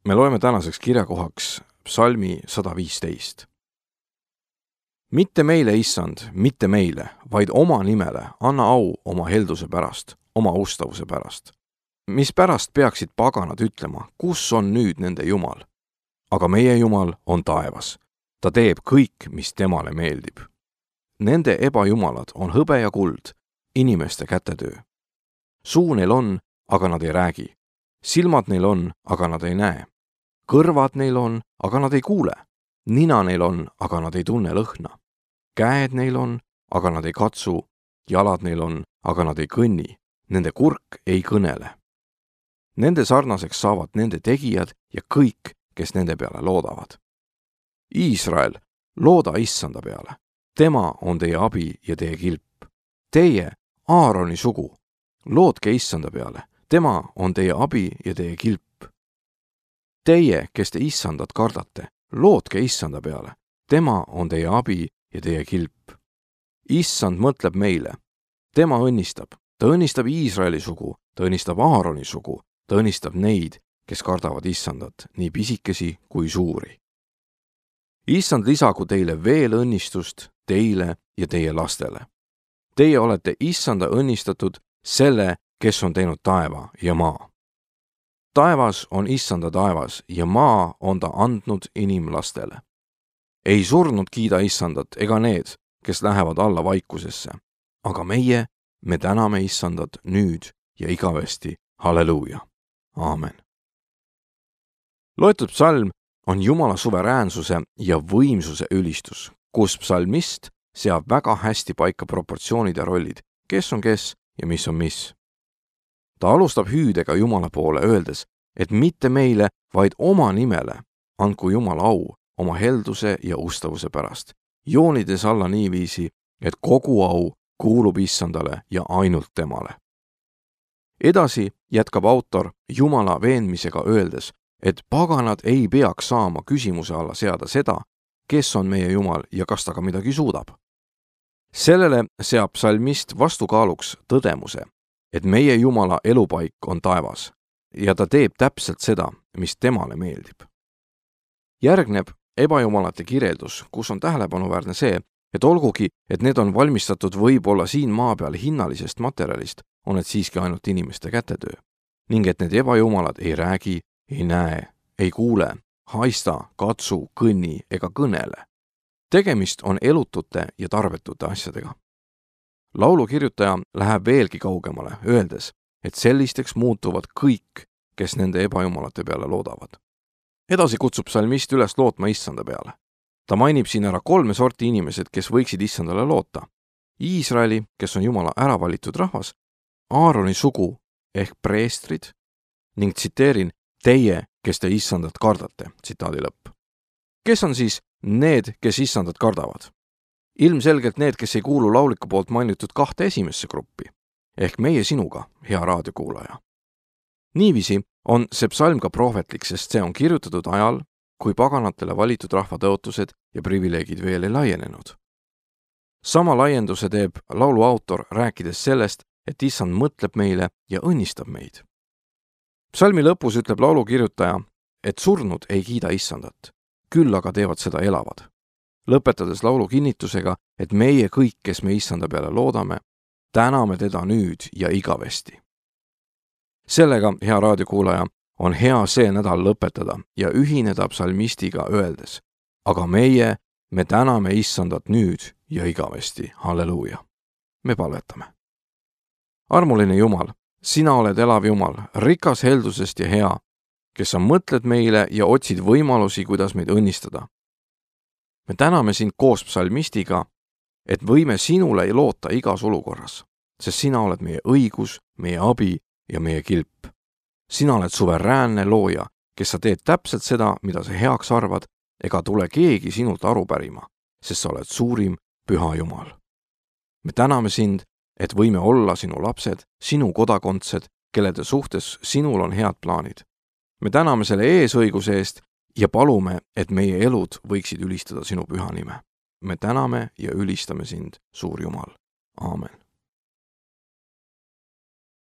Me loeme tänaseks kirjakohaks psalmi 115. Mitte meile, Issand, mitte meile, vaid oma nimele anna au oma helduse pärast, oma ustavuse pärast. Mis pärast peaksid paganad ütlema, kus on nüüd nende Jumal? Aga meie Jumal on taevas. Ta teeb kõik, mis temale meeldib. Nende ebajumalad on hõbe ja kuld, inimeste kätetöö. Suu neil on, aga nad ei räägi. Silmad neil on, aga nad ei näe. Kõrvad neil on, aga nad ei kuule. Nina neil on, aga nad ei tunne lõhna. Käed neil on, aga nad ei katsu. Jalad neil on, aga nad ei kõnni. Nende kurk ei kõnele. Nende sarnaseks saavad nende tegijad ja kõik, kes nende peale loodavad. Iisrael, looda Issanda peale. Tema on teie abi ja teie kilp. Teie, Aaroni sugu, loodke Issanda peale. Tema on teie abi ja teie kilp. Teie, kes te Issandat kardate, loodke Issanda peale. Tema on teie abi ja teie kilp. Issand mõtleb meile. Tema õnnistab. Ta õnnistab Iisraeli sugu, ta õnnistab Aaroni sugu, ta õnnistab neid, kes kardavad Issandat, nii pisikesi kui suuri. Issand lisagu teile veel õnnistust teile ja teie lastele. Teie olete Issanda õnnistatud selle, kes on teinud taeva ja maa. Taevas on Issanda taevas ja maa on ta andnud inimlastele. Ei surnud kiida Issandat ega need, kes lähevad alla vaikusesse, aga me täname Issandat nüüd ja igavesti. Halleluuja. Aamen. Loetud psalm on Jumala suveräänsuse ja võimsuse ülistus, kus psalmist seab väga hästi paika proportsioonid ja rollid, kes on kes ja mis on mis. Ta alustab hüüdega Jumala poole, öeldes, et mitte meile, vaid oma nimele andku Jumala au oma helduse ja ustavuse pärast, joonides alla niiviisi, et kogu au kuulub Issandale ja ainult temale. Edasi jätkab autor Jumala veenmisega öeldes, et paganad ei peaks saama küsimuse alla seada seda, kes on meie Jumal ja kas ta ka midagi suudab. Sellele seab psalmist vastukaaluks tõdemuse, et meie Jumala elupaik on taevas ja ta teeb täpselt seda, mis temale meeldib. Järgneb ebajumalate kirjeldus, kus on tähelepanuväärne see, et olgugi, et need on valmistatud võib-olla siin maa peal hinnalisest materjalist, on need siiski ainult inimeste kätetöö. Ning et need ebajumalad ei räägi, ei näe, ei kuule, haista, katsu, kõnni ega kõnele. Tegemist on elutute ja tarvetute asjadega. Laulu kirjutaja läheb veelgi kaugemale, öeldes, et sellisteks muutuvad kõik, kes nende ebajumalate peale loodavad. Edasi kutsub psalmist üles lootma Issanda peale. Ta mainib siin ära 3 sorti inimesed, kes võiksid Issandale loota. Iisraeli, kes on Jumala äravalitud rahvas, Aaroni sugu ehk preestrid ning tsiteerin, teie, kes te Issandat kardate, tsitaadi lõpp. Kes on siis need, kes Issandat kardavad? Ilmselgelt need, kes ei kuulu lauliku poolt mainitud 2 esimesse gruppi, ehk meie sinuga, hea raadiokuulaja. Niiviisi on see psalm ka prohvetlik, sest see on kirjutatud ajal, kui paganatele valitud rahva tõotused ja privileegid veel ei laienenud. Sama laienduse teeb laulu autor, rääkides sellest, et Issand mõtleb meile ja õnnistab meid. Psalmi lõpus ütleb laulu kirjutaja, et surnud ei kiida Issandat, küll aga teevad seda elavad. Lõpetades laulu kinnitusega, et meie kõik, kes me Issanda peale loodame, täname teda nüüd ja igavesti. Sellega, hea raadiokuulaja, on hea see nädal lõpetada ja ühineda psalmistiga öeldes, aga me täname Issandat nüüd ja igavesti. Halleluuja. Me palvetame. Armuline Jumal, sina oled elav Jumal, rikas heldusest ja hea, kes sa mõtled meile ja otsid võimalusi, kuidas meid õnnistada. Me täname sind koos psalmistiga, et võime sinule loota igas olukorras, sest sina oled meie õigus, meie abi ja meie kilp. Sina oled suveräänne looja, kes sa teed täpselt seda, mida sa heaks arvad, ega tule keegi sinult aru pärima, sest sa oled suurim püha Jumal. Me täname sind, et võime olla sinu lapsed, sinu kodakondsed, kellede suhtes sinul on head plaanid. Me täname selle eesõiguse eest ja palume, et meie elud võiksid ülistada sinu püha nime. Me täname ja ülistame sind, suur Jumal. Aamen.